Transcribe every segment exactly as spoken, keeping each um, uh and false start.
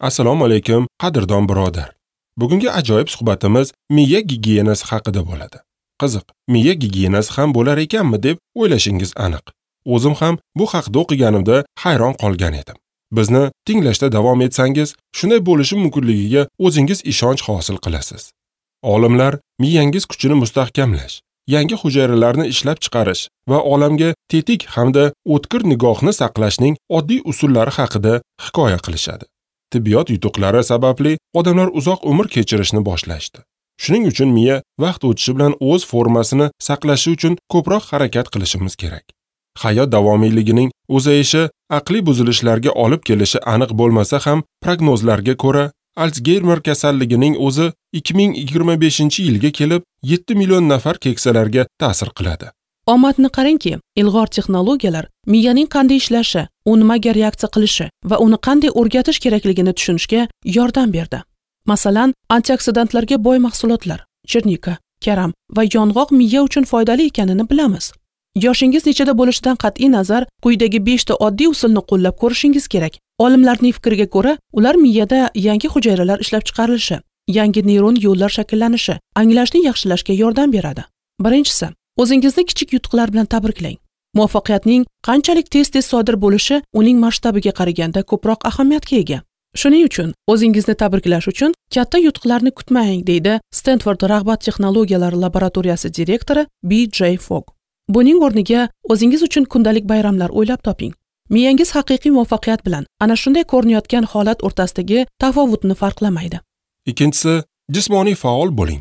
Assalomu alaykum, qadrdon birodar. Bugungi ajoyib suhbatimiz miya gigiyenasi haqida bo'ladi. Qiziq, miya gigiyenasi ham bo'lar ekanmi deb o'ylashingiz aniq. O'zim ham bu haqda o'qiganimda hayron qolgan edim. Bizni tinglashda davom etsangiz, shunday bo'lishi mumkinligiga o'zingiz ishonch hosil qilasiz. Olimlar miyangiz kuchini mustahkamlash, yangi hujayralarni ishlab chiqarish va olamga tetik hamda o'tkir nigohni saqlashning oddiy usullari haqida hikoya qilishadi. Tibbiyot yutuqlari sababli odamlar uzoq umr kechirishni boshlashdi. Shuning uchun miya vaqt o'tishi bilan o'z formasini saqlashi uchun ko'proq harakat qilishimiz kerak. Hayot davomiyligining uzayishi aqliy buzilishlarga olib kelishi aniq bo'lmasa ham, prognozlarga ko'ra, Alsgeymer kasalligining o'zi ikki ming yigirma beshinchi yilga kelib yetti million nafar keksalarga ta'sir qiladi. Omadni qarangki, ilg'or texnologiyalar miyaning qanday ishlashi, u nimaga reaksiya qilishi va uni qanday o'rgatish kerakligini tushunishga yordam berdi. Masalan, antioksidantlarga boy mahsulotlar, chernika, karam va yong'oq miya uchun foydali ekanini bilamiz. Yoshingiz nechada bo'lishidan qat'iy nazar, quyidagi beshta oddiy usulni qo'llab ko'rishingiz kerak. Olimlarning fikriga ko'ra, ular miyada yangi hujayralar ishlab chiqarilishi, yangi neyron yo'llar shakllanishi, anglashni yaxshilashga yordam beradi. Birinchisi, o'zingizni kichik yutuqlar bilan tabriklang. Muvaffaqiyatning qanchalik tez-tez sodir bo'lishi uning masshtabiga qaraganda ko'proq ahamiyatga ega. Shuning uchun o'zingizni tabriklash uchun katta yutuqlarni kutmang, deydi Stanford rag'bat texnologiyalari laboratoriyasi direktori B J Fogg. Buning o'rniga o'zingiz uchun kundalik bayramlar o'ylab toping. Miyangiz haqiqiy muvaffaqiyat bilan ana shunday ko'rinayotgan holat o'rtasidagi tafovutni farqlamaydi. Ikkinchisi, jismoniy faol bo'ling.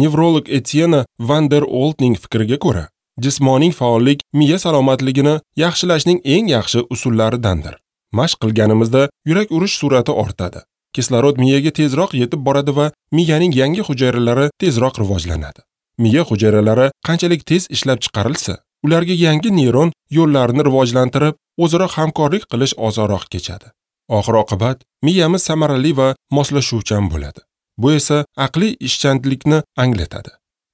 Nevrolog Etienne van der Oltning fikriga ko'ra, jismoniy faollik miya salomatligini yaxshilashning eng yaxshi usullaridandir. Mashq qilganimizda yurak urish sur'ati ortadi. Kislorod miyaga tezroq yetib boradi va miyaning yangi hujayralari tezroq rivojlanadi. Miya hujayralari qanchalik tez ishlab chiqarilsa, ularga yangi neyron yo'llarini rivojlantirib, o'zaro hamkorlik qilish osonroq kechadi. Oxir-oqibat, miyamiz samarali va moslashuvchan bo'ladi. Bu esa aqliy ishchanlikni anglatadi.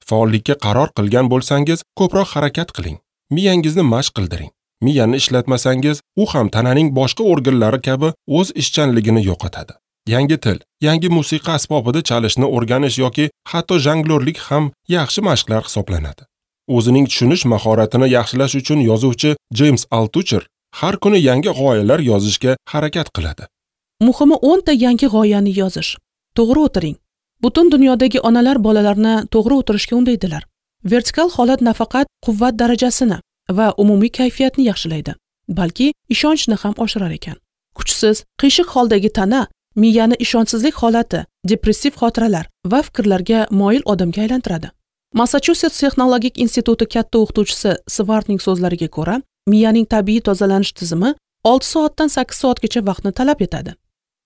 Faollikka qaror qilgan bo'lsangiz, ko'proq harakat qiling. Miyangizni mashq qildiring. Miyani ishlatmasangiz, u ham tananing boshqa organlari kabi o'z ishchanligini yo'qotadi. Yangi til, yangi musiqa asbobida chalishni o'rganish yoki hatto jonglyorlik ham yaxshi mashqlar hisoblanadi. O'zining tushunish mahoratini yaxshilash uchun yozuvchi James Altucher har kuni yangi g'oyalar yozishga harakat qiladi. Muhimi o'nta yangi g'oyani yozish. To'g'ri o'tiring. Butun dunyodagi onalar bolalarni to'g'ri o'tirishga undaydilar. Vertikal holat nafaqat quvvat darajasini va umumiy kayfiyatni yaxshilaydi, balki ishonchni ham oshirar ekan. Kuchsiz, qiyshiq holdagi tana miyani ishonchsizlik holati, depressiv xotiralar va fikrlarga moyil odamga aylantiradi. Massachusets texnologik instituti katta o'qituvchisi Svartning so'zlariga ko'ra, miyaning tabiiy tozalanish tizimi olti soatdan sakkiz soatgacha vaqtni talab etadi.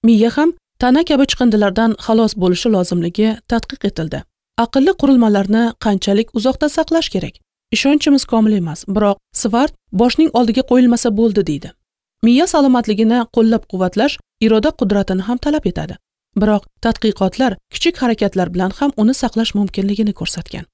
Miya ham tana kabi chiqindilardan xalos bo'lishi lozimligi tadqiq etildi. Aqlli qurilmalarni qanchalik uzoqda saqlash kerak? Ishonchimiz komil emas, biroq Svart boshning oldiga qo'yilmasa bo'ldi deydi. Miya salomatligini qo'llab-quvvatlash iroda qudratini ham talab etadi. Biroq tadqiqotlar kichik harakatlar bilan ham uni saqlash mumkinligini ko'rsatgan.